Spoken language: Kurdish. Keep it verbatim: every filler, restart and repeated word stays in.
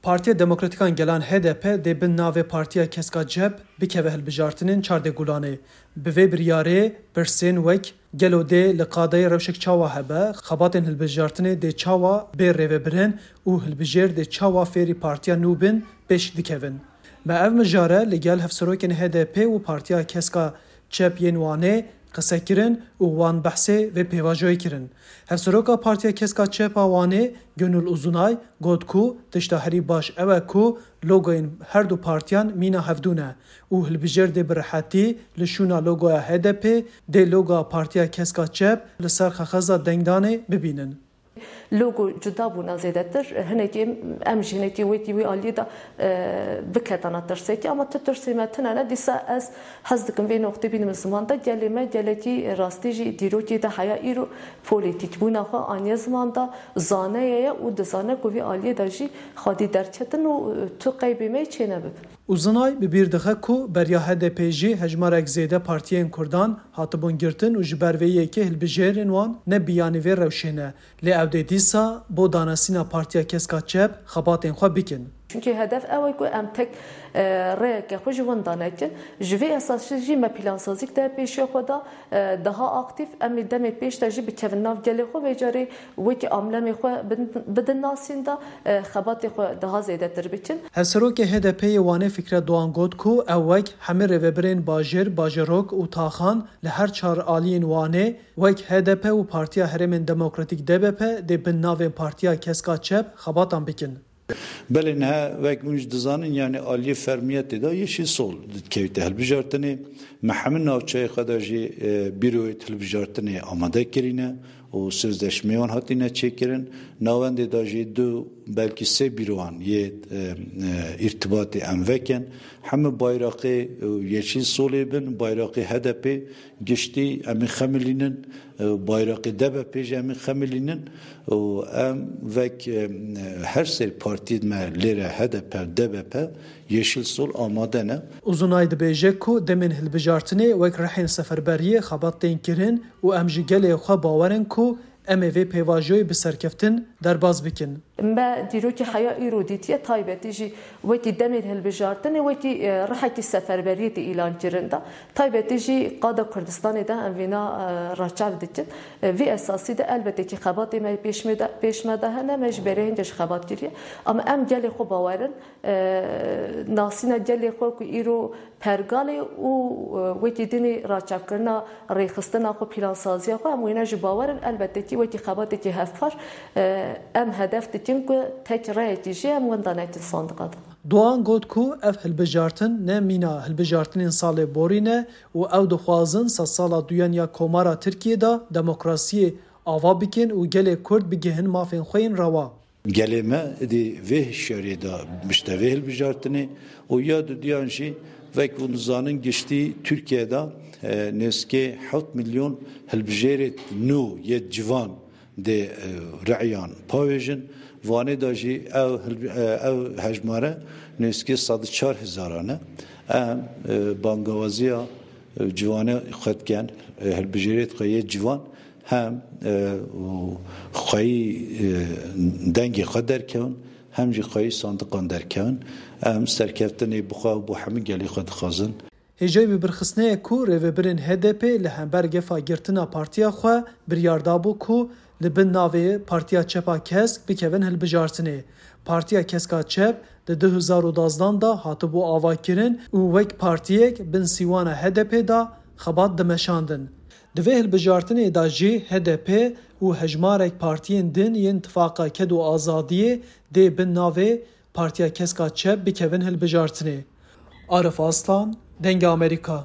Partiya Demokratîkan Gelan H D P dê bin navê Partiya Keska Cep bikeve hilbijartinên çardê Gulanê. Bi vê biryarê pirsên wek gelo dê li qadeyê rewşek çawa hebe, xebatên hilbijartinê dê çawa bê rêvebirin û hilbijêr dê çawa fêrî partiya nû bin pêş dikevin. Me ev mijare li gel hevserokên H D P û Partiya Keska Çep yên Wanê qise kirin û wan behsê vê pêvajoyê kirin. Hevseroka Partiya Keska Çep a Wanê Gönül Uzunay got ku tişta herî baş ew e ku logoyên her du partiyan mîna hevdû ne û hilbijêr dê bi rehetî li şûna logoya H D P dê logoya Partiya Keska Çep li ser xexeza dengdanê bibînin. Logo cuda bûna zêdetir. Hinekî em jî hinekî wekî wî aliyê de, e, biketana tirsekî, ama tu tirsê me tune ne. Dîsa ez hez dikim vê noqtê bînim ziman de, gelê me gelekî rastî jî dîrokê de heya îro polîtîk bûna xwe aniye ziman de, zaneye ye û dizane ku vî aliyê de jî xwedî derketin û, e, tu qeybê me çênebibin. Uzunay bi bîr dixe ku beriya H D P jî hejmarek zêde partiyên Kurdan hatibûn girtin û ji ber vê yekê hilbijêrên wan ne biyanî vê rewşê ne, lê ew dê dîsa bo danesîna Partiya Keska Çep xebatên xwe bikin. Çunkî hedef ew e ku em tek, e, rêyeke xwe ji winda nekin. Ji vê esasî jî me plansazîk de pêşiya xwe da, e, daha aktîf. Em ê demê pêş de jî bikevin nav gelê xwe, vê carê wekî amblemê xwe bidin, bidin nasîn de, e, xebatê xwe daha zêdetir bikin. Hevserokê H D P'ê yê Wanê Fikret Doğan got ku ew wek hemî rêvebirên bajêr, bajarok û taxan li her çar aliyên Wanê wek H D P û Partiya Herêmên Demokratîk D B P dê bin navên Partiya Keska Çep xebatan bikin. Belê niha wek hûn jî dizanin, yani aliyê fermiyetê de Yeşil Sol dikevite hilbijartinê. Me hemî navçeyê xwe de jî, e, bîroyê hilbijartinê amade kirîne û sözleşmeyê wan hatîne çêkirin. Navendê de jî du belkî sê bîrowan yê, e, e, îrtibatê em vekin. Hemî bayraqê, e, Yeşil Solê bin, bayraqê H D P giştî em ê xemilînin, e, bayraqê D B P jî em ê xemilînin û em vek, e, her sê partiyê me lêre H D P, D B P, Yeşil Sol amade ne. Uzunay dibêje ku demên hilbijartinê wek rihên seferberiyê xebat tên kirin û em ji gelê xwe bawer in ku em ê vê pêvajoyê bi serkeftin derbas bikin. Me dîrokî heya îro dîtiye, taybetî jî wekî demên hilbijartinê, wekî, e, rihekî seferberiyê tê îlan kirin de. Taybetî jî qada Kurdistanê de em vêna, e, raçav dikin. E, vî esasî de elbetê kî xebatê me pêş me de, pêş me de hene, me ji berê hingê ji xebat kiriye. Ama em gelê xwe bawer in, e, nasîna gelê xwe ku îro pergalê û, e, wekî dinê raçavkirina rêxistina xwe, plansaziya xwe, em wêne jî bawer in. Elbetê kî wekî xebatekî hevpar, e, em hedef dikin ku tek reyekî jî em winda nekin sandiqa de. Doğan got ku ev hilbijartin ne mîna hilbijartinên salê borî ne û ew dixwazin sedsala duyan ya Komara Tirkiyê de demokrasiyê ava bikin û gelê Kurd bigihin mafên xwe yên rewa. Gelê me êdî vê hişyariyê de bişte vê hilbijartinê û ya dudiyan jî wek hûn dizanin giştî Tirkiye de, e, nêzîkê heft milyon hilbijêrê nû yê civan dê, e, reyan pawêjin. Vanê de jî ew hilbi-, e, ew hejmare nêzîkê sed û çar hezaran e. Em, e, bangawaziya, e, ciwanê xwe dikin, e, hilbijêrê xwe yê ciwan hem, e, û xweyî, e, dengê xwe derkevin, hem jî xweyî sandiqan derkevin. Em serkeftinê bi xwe û bo hemî gelê xwe dixwazin. Hêjayî bi birxistinê ye ku rêvebirên H D P li hember gefa girtina partiya xwe biryar dabû ku li bin navê Partiya Çepa Kesk bikevin hilbijartinê. Partiya Keska Çep di du hezar û dazdan de hatibû avakirin û wek partiyek bin sîwana H D P de xebat dimeşandin. Di vê hilbijartinê de jî H D P û hejmarek partiyên din yên Tifaqa Ked û Azadiyê dê bin navê Partiya Keska Çep bikevin hilbijartinê. Arif Aslan, Dengê Amerîka.